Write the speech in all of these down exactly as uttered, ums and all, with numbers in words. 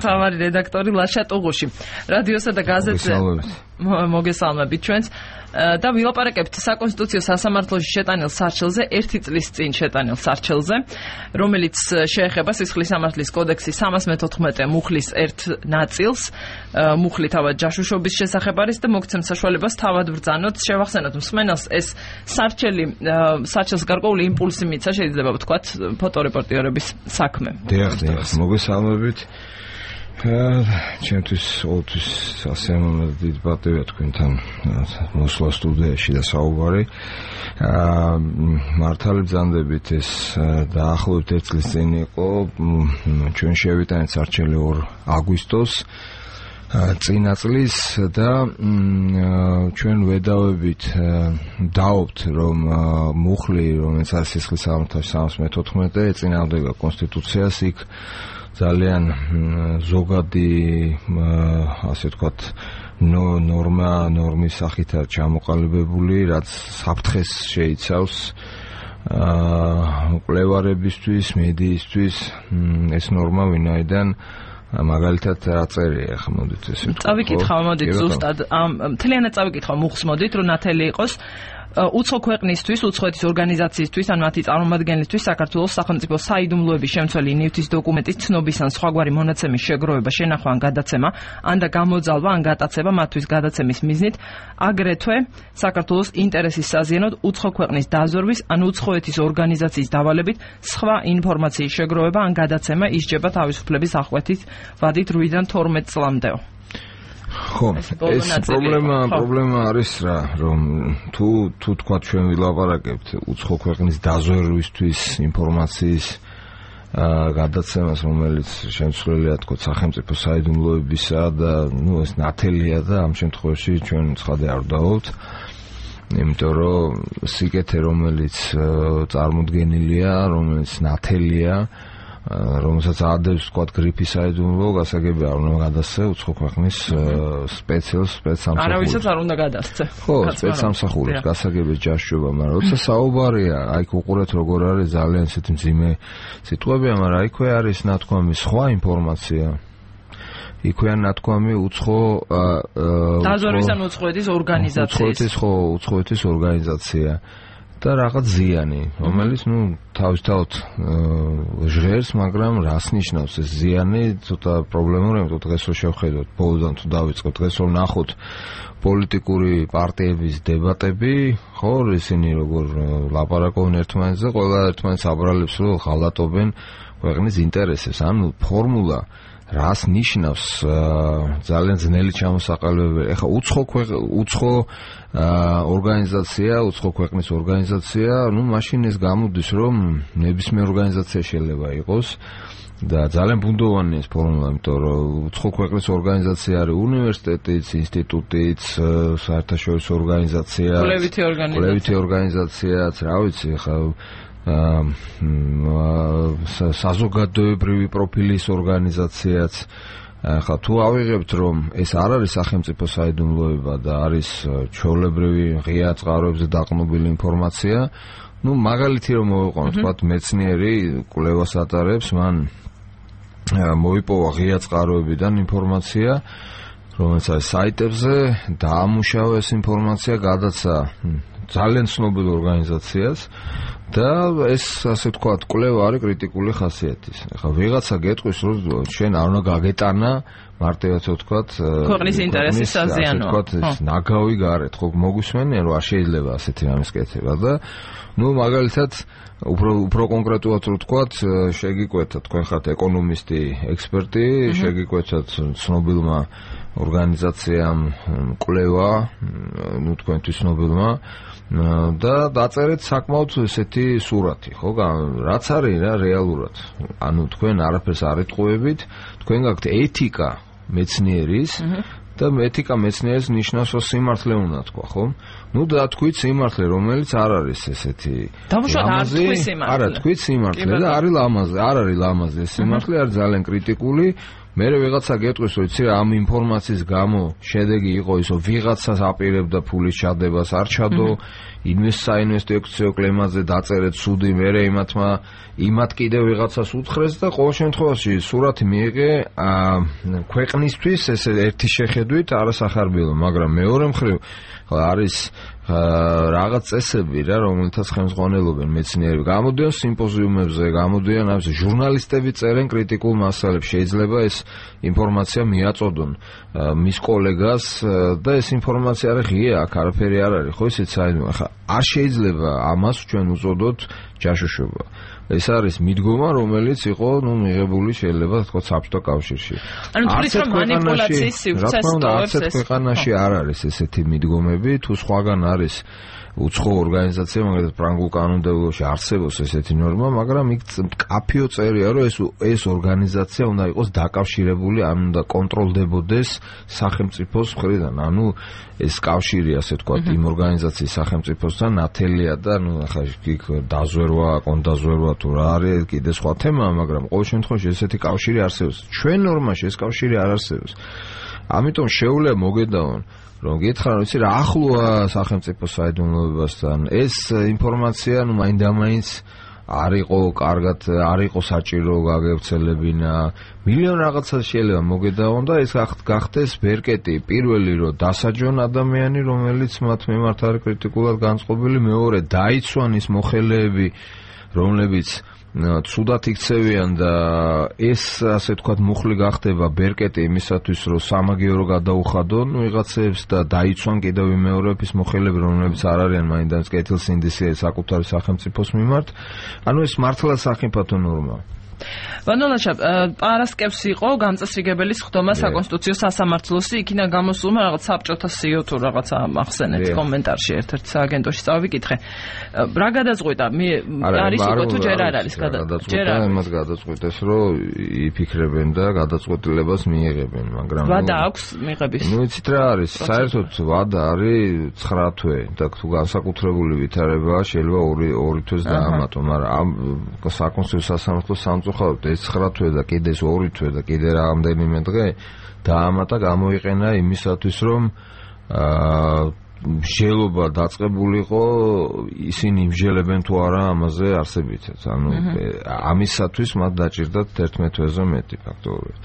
თავარი რედაქტორი ლაშა ტუღუში. რადიოსა და გაზეთზე მოგესალმებით ჩვენს და ვილაპარაკებთ საკონსტიტუციო სასამართლოში შეტანილ სარჩელზე ერთი წლის წინ შეტანილ სარჩელზე, რომელიც შეეხება სისხლის სამართლის კოდექსის სამას მეთოთხმეტე მუხლის ერთ ნაწილს. მუხლი თავად ჯაშუშობის შესახებ არის და მოგცემ საშუალებას თავად ბრძანოთ. შევახსენოთ მსმენელს, ეს სარჩელი სარჩელს გარკვეული იმპულსი მიცა, შეიძლება ვთქვათ, ფოტორეპორტიორების საქმე. დიახ, დიახ, მოგესალმებით. ჩემთვის ოთვის ასე დიდი პატივია თქვენთან მოსვლა სტუდიაში და საუბარი. მართალი ბრძანდებით ეს დაახლოებით ერთ წლის წინ იყო, ჩვენ შევიტანეთ სარჩელი ორ აგვისტოს წინა წლის და ჩვენ ვედავებით დავობთ, რომ მუხლი, რომელიც არის სისხლის სამართლის სამას მეთოთხმეტე, ეწინააღმდება კონსტიტუციას, იქ ძალიან ზოგადი, ასე ვთქვათ, ნორმა, ნორმის სახითაა ჩამოყალიბებული, რაც საფრთხეს შეიცავს მკვლევარებისთვის, მედიისთვის. ეს ნორმა ვინაიდან მაგალითად რა წერია, ახლა მოდით ესე ვთქვათ. წავიკითხავ, მოდით ზუსტად, მთლიანად წავიკითხავ მუხლს, მოდით, რომ ნათელი იყოს უცხო ქვეყნისთვის, უცხოეთის ორგანიზაციისთვის, ან მათი წარმომადგენლისთვის საქართველოს სახელმწიფო საიდუმლოების შემცველი ნივთის დოკუმენტის ცნობის ან სხვაგვარი მონაცემის შეგროვება, შენახვა ან გადაცემა, ან და გამოძალვა ან გატაცება მათთვის გადაცემის მიზნით, აგრეთვე საქართველოს ინტერესის საზიანოდ უცხო ქვეყნის დაზვერვის ან უცხოეთის ორგანიზაციის დავალებით სხვა ინფორმაციის შეგროვება ან გადაცემა ისჯება თავისუფლების აღკვეთის ვადით რვიდან თორმეტ წლამდეო. ხო, ეს პრობლემა, პრობლემა არის რა, რომ თუ თუ თქვა ჩვენ ვილაპარაკებთ უცხო ქვეყნის დაზვერვისთვის ინფორმაციის გადაცემას, რომელიც შემცვლელია თქო სახელმწიფო საიდუმლოებისა და ნუ ეს ნათელია და ამ შემთხვევაში ჩვენ ცხადე არ დავობთ, იმიტომ რომ სიკეთე, რომელიც წარმოდგენილია, რომელიც ნათელია, რომელსაც ადევს ვთქვათ გრიფი საიდუმლო, გასაგები არ უნდა გადასცე უცხო ქვეყნის სპეციალს სპეცსამსახურს. არავისაც არ უნდა გადასცე. ხო, სპეცსამსახურს გასაგები ჯაშუება, მაგრამ როცა საუბარია, აი უყურეთ როგორ არის ძალიან ისეთი მძიმე სიტყვებია, მაგრამ აიქვე არის ნათქვამი სხვა ინფორმაცია. იქვეა ნათქვამი უცხო დაზვერვის ან უცხოეთის ორგანიზაციის. უცხოეთის ხო, უცხოეთის ორგანიზაცია. და რაღაც ზიანი, რომელიც ნუ თავისთავად ჟღერს, მაგრამ რას ნიშნავს ეს ზიანი, ცოტა პრობლემური, იმიტომ დღეს რო შევხედოთ, ბოლოდან თუ დავიწყოთ, დღეს რომ ნახოთ პოლიტიკური პარტიების დებატები, ხო, ისინი როგორ ლაპარაკობენ ერთმანეთზე, ყველა ერთმანეთს აბრალებს, რომ ღალატობენ ქვეყნის ინტერესებს, ანუ ფორმულა რას ნიშნავს ძალიან ძნელი ჩამოსაყალიბებელი. ეხლა უცხო უცხო ორგანიზაცია, უცხო ქვეყნის ორგანიზაცია, ну მაშინ ეს გამოდის, რომ ნებისმიერ ორგანიზაცია შეიძლება იყოს და ძალიან ბუნდოვანი ეს ფორმულა, იმიტომ რომ უცხო ქვეყნის ორგანიზაცია არის უნივერსიტეტიც, ინსტიტუტიც, საერთაშორისო ორგანიზაცია, კვლევითი ორგანიზაცია, კვლევითი ორგანიზაციაც, რა ვიცი, ეხლა საზოგადოებრივი პროფილის ორგანიზაციაც. ხა თუ ავიღებთ, რომ ეს არ არის სახელმწიფო საიდუმლოება და არის ჩვეულებრივი ღია წყაროებზე დაყრდნობილი ინფორმაცია, ну მაგალითი რომ მოვიყვანოთ, თქვათ მეცნიერი კვლევას ატარებს, მან მოიპოვა ღია წყაროებიდან ინფორმაცია, რომელიც არის საიტებზე, დაამუშავა ეს ინფორმაცია, გადაცა ძალიან ცნობილ ორგანიზაციას და ეს ასე ვთქვათ, კვლევა არის კრიტიკული ხასიათის. ეხლა ვიღაცა გეტყვის, რომ შენ არ უნდა გაგეტანა მარტივად ვთქვათ, ქვეყნის ინტერესის საზიანო. ვთქვათ, ეს ნაგავი გარეთ, ხო მოგვისმენია, რომ არ შეიძლება ასეთი რამის კეთება და ну მაგალითად უფრო უფრო კონკრეტულად ვთქვათ, შეგიკვეთა, თქვენ ხართ ეკონომისტი, ექსპერტი, შეგიკვეთათ ცნობილმა ორგანიზაციამ კვლევა, ну თქვენთვის ცნობილმა და დაწერეთ საკმაოდ ესეთი სურათი, ხო, რაც არის რა რეალურად. ანუ თქვენ არაფერს არ ეტყუებით, თქვენ გაქვთ ეთიკა მეცნიერის და ეთიკა მეცნიერის ნიშნავს, რომ სიმართლე უნდა თქვა, ხო? ну და თქვით სიმართლე, რომელიც არ არის ესეთი ლამაზი, არა, თქვით სიმართლე და არის ლამაზი, არ არის ლამაზი, ეს სიმართლე არის ძალიან კრიტიკული, მერე ვიღაცა გეტყვის, რომ იცი რა, ამ ინფორმაციის გამო შედეგი იყო ის, რომ ვიღაცას აპირებდა ფულის ჩადებას, არ ჩადო, საინვესტიციო კლემაზე დაწერეთ სუდი, მერე იმათმა იმათ კიდევ ვიღაცას უთხრეს და ყოველ შემთხვევაში სურათი მიიღე ქვეყნისთვის ეს ერთი შეხედვით არასახარბიელო, მაგრამ მეორე მხრივ არის რაღაც წესები რა, რომელთაც ხელმძღვანელობენ მეცნიერები. გამოდიან სიმპოზიუმებზე, გამოდიან ამის ჟურნალისტები წერენ კრიტიკულ მასალებს. შეიძლება ეს ინფორმაცია მიაწოდონ მის კოლეგას და ეს ინფორმაცია არის ღია, აქ არაფერი არ არის, ხო ისიც საერთოდ ახლა არ შეიძლება ამას ჩვენ უწოდოთ ჯაშუშობა. ეს არის მიდგომა, რომელიც იყო, ნუ მიღებული შეიძლება თქვა საბჭოთა კავშირში. ანუ თulis რომ მანიპულაციის სივრცეს ტოვებს ეს ქვეყანაში არ არის ესეთი მიდგომები, თუ სხვაგან არის უცხო ორგანიზაცია, მაგალითად ფრანგულ კანონმდებლობაში არსებობს ესეთი ნორმა, მაგრამ იქ კაფიო წერია, რომ ეს ეს ორგანიზაცია უნდა იყოს დაკავშირებული, ან უნდა კონტროლდებოდეს სახელმწიფოს მხრიდან. ანუ ეს კავშირი, ასე ვთქვათ, იმ ორგანიზაციის სახელმწიფოსთან ნათელია და ნუ ახლა იქ დაზვერვა, კონდაზვერვა თუ რა არის, კიდე სხვა თემაა, მაგრამ ყოველ შემთხვევაში ესეთი კავშირი არსებობს. ჩვენ ნორმაში ეს კავშირი არ არსებობს. ამიტომ შეუძლია მოგედაონ რომ გითხრა რომ იცი რა ახლოა სახელმწიფო საიდუმლოებასთან ეს ინფორმაცია ნუ მაინდამაინც არ იყო კარგად არ იყო საჭირო გაგევრცელებინა მილიონ რაღაცა შეიძლება მოგედაონ და ეს გახდეს ბერკეტი პირველი რომ დასაჯონ ადამიანი რომელიც მათ მიმართ არის კრიტიკულად განწყობილი მეორე დაიცვან ის მოხელეები რომლებიც ცუდად იქცევიან და ეს ასე ვთქვათ მუხლი გახდება ბერკეტი იმისათვის რომ სამაგიერო გადაუხადონ ვიღაცებს და დაიცვან კიდევ იმეორების მოხელეები რომლებიც არ არიან მაინდამაც კეთილსინდისე საკუთარი სახელმწიფოს მიმართ ანუ ეს მართლა სახიფათო ნორმაა ვანოლაშა პარასკევს იყო გამწესრიგებელი სხდომა საკონსტიტუციო სასამართლოსი იქიდან გამოსულმა რაღაც საბჭოთა სიო თუ რაღაცა ახსენეთ კომენტარში ერთ-ერთ სააგენტოში წავიკითხე რა გადაწყვიტა არის უკვე თუ ჯერ არ არის გადაწყვიტა იმას გადაწყვიტეს რომ იფიქრებენ და გადაწყვეტილებას მიიღებენ მაგრამ ვადა აქვს მიღების ნუ იცით რა არის საერთოდ ვადა არის ცხრა თვე და თუ განსაკუთრებული ვითარებაა შეიძლება ორი ორი თვეს დაამატო მაგრამ ამ საკონსტიტუციო სასამართლოს სამწუხაროდ ეს ცხრა თვე და კიდე ეს ორი თვე და კიდე რამდენიმე დღე დაამატა გამოიყენა იმისათვის რომ აა მსჯელობა დაწყებულიყო ისინი მსჯელებენ თუ არა ამაზე არსებითაც ანუ ამისათვის მათ დაჭირდათ თერთმეტ თვეზე მეტი ფაქტობრივად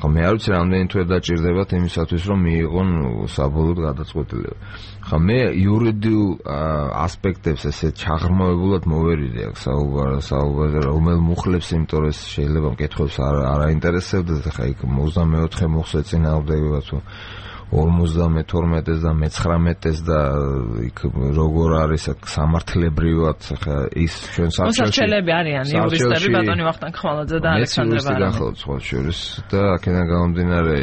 ხო მე არ ვიცი რამდენი თვე დაჭირდებათ იმისათვის რომ მიიღონ საბოლოოდ გადაწყვეტილება ხო მე იურიდიულ ასპექტებს ესე ჩაღრმავებულად მოვერიდი აქ საუბარ საუბარზე რომელ მუხლებს იმიტომ რომ შეიძლება მკითხველს არ არაინტერესებდეს ხა იქ ოცდამეოთხე მუხლს ეწინააღმდეგება თუ ორმოცდამეთორმეტეს და მეცხრამეტეს და იქ როგორ არის აქ სამართლებრივად ხა ის ჩვენ საბჭოში მოსარჩელები არიან იურისტები ბატონი ვახტანგ ხმალაძე და ალექსანდრე ბარანი გახლავთ სხვა შორის და აქედან გამომდინარე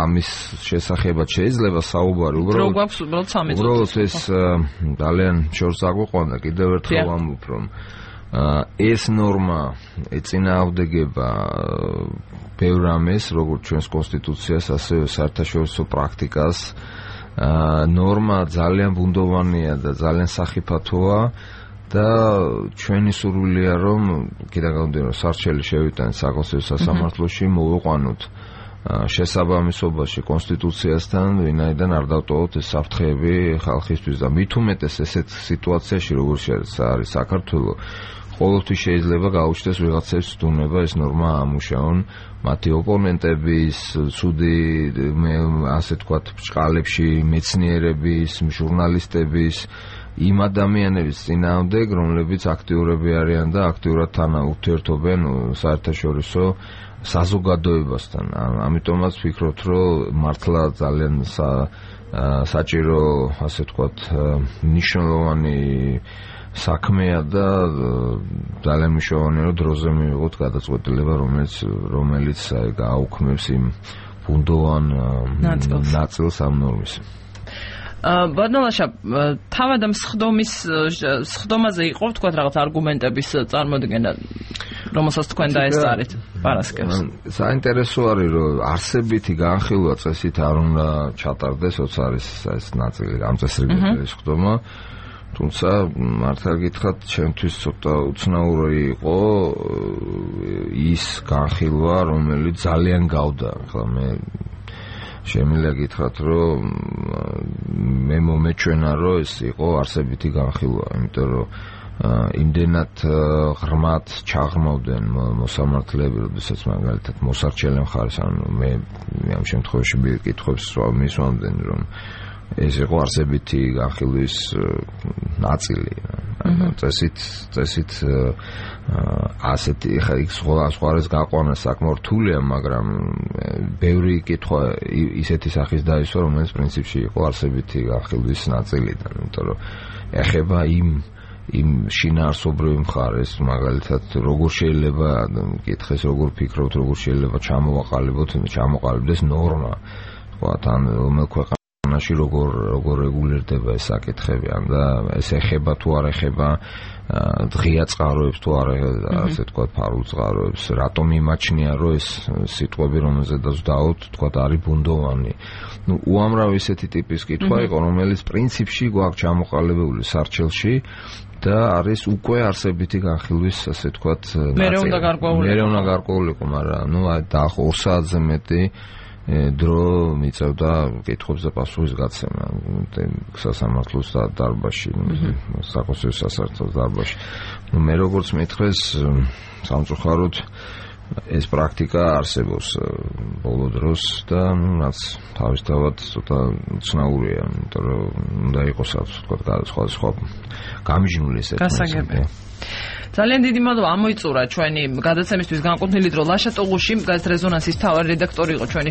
ამის შესახებად შეიძლება საუბარი უბრალოდ რო გვაქვს უბრალოდ სამი წუთი უბრალოდ ეს ძალიან შორს აგვიყვანდა კიდევ ერთხელ ვამბობ რომ ეს ნორმა ეწინააღმდეგება ბევრ რამეს, როგორც ჩვენს კონსტიტუციას, ასევე საერთაშორისო პრაქტიკას. ნორმა ძალიან ბუნდოვანია და ძალიან სახიფათოა და ჩვენი სურვილია რომ კიდევ გამოდიან სარჩელი შევიტანოთ საკონსტიტუციო სასამართლოში მოვიყვანოთ შესაბამისობაში კონსტიტუციასთან, ვინაიდან არ დავტოვოთ ეს საფრთხეები ხალხისთვის და მით უმეტეს ესეთ სიტუაციაში, როგორც არის საქართველო ყოველთვის შეიძლება გაუჩნდეს ვიღაცებს თუნება ეს ნორმა ამუშაონ მათი ოპონენტების, ცუდი ასე ვთქვათ, ბრჭყალებში მეცნიერების, ჟურნალისტების, იმ ადამიანების წინააღმდეგ, რომლებიც აქტიურები არიან და აქტიურად თან ურთიერთობენ საერთაშორისო საზოგადოებასთან. ამიტომაც ვფიქრობთ, რომ მართლა ძალიან საჭირო, ასე ვთქვათ, მნიშვნელოვანი საქმეა და ძალიან მნიშვნელოვანია რომ დროზე მივიღოთ გადაწყვეტილება რომელიც რომელიც გააუქმებს იმ ბუნდოვან ნაწილს ამ ნორმის. ბატონაშა თავად ამ სხდომის სხდომაზე იყო თქვათ რაღაც არგუმენტების წარმოდგენა რომელსაც თქვენ დაესწარით პარასკევს. საინტერესო არის რომ არსებითი განხილვა წესით არ უნდა ჩატარდეს, როცა არის ეს ნაწილი გამწესრიგებელი სხდომა. თუმცა მართლა გითხრათ, ჩემთვის ცოტა უცნაური იყო ის განხილვა, რომელიც ძალიან გავდა. ახლა მე შემიძლია გითხრათ, რომ მე მომეჩვენა, რომ ეს იყო არსებითი განხილვა, იმიტომ რომ იმდენად ღრმად ჩაღრმავდნენ მოსამართლეები, როდესაც მაგალითად მოსარჩელე მხარეს, ანუ მე ამ შემთხვევაში კითხვებს მისვამდნენ, რომ ეს იყო არსებითი განხილვის ნაწილი. წესით წესით ასეთი ხა იქ სხვა სხვაერს გაყვანა საკმაოდ რთულია, მაგრამ ბევრი კითხვა ისეთი სახის დაისვა, რომელიც პრინციპში იყო არსებითი განხილვის ნაწილიდან, იმიტომ რომ ეხება იმ იმ შინაარსობრივ მხარეს, მაგალითად, როგორ შეიძლება კითხეს, როგორ ფიქრობთ, როგორ შეიძლება ჩამოვაყალიბოთ, ჩამოყალიბდეს ნორმა, თქვა თან რომელ ქვეყანაში როგორ როგორ რეგულირდება ეს საკითხები, და ეს ეხება თუ არ ეხება დღია წყაროებს თუ არ ასე თქვა ფარულ წყაროებს, რატომ იმაჩნია, რომ ეს სიტყვები, რომელზედაც დავთ, თქვა არის ბუნდოვანი. ნუ უამრავი ესეთი ტიპის კითხვა იყო, რომელიც პრინციპში გვაქვს ჩამოყალიბებული სარჩელში და არის უკვე არსებითი განხილვის, ასე თქვათ, მერე უნდა გარკვეულიყო. მერე უნდა გარკვეულიყო, მაგრამ ნუ დაახლოებით ორ საათზე მეტი დრო მიწევდა კითხვებს და პასუხის გაცემა სასამართლოს დარბაზში, საკონსტიტუციო სასამართლოს დარბაზში. ნუ მე როგორც მითხრეს, სამწუხაროდ ეს პრაქტიკა არსებობს ბოლო დროს და რაც თავისთავად ცოტა უცნაურია, იმიტომ რომ უნდა იყოს თქვა სხვა სხვა გამიჯნული ეს გასაგები. ძალიან დიდი მადლობა, ამოიწურა ჩვენი გადაცემისთვის განკუთვნილი დრო. ლაშა ტუღუში, გაზეთ რეზონანსის მთავარი რედაქტორი იყო ჩვენი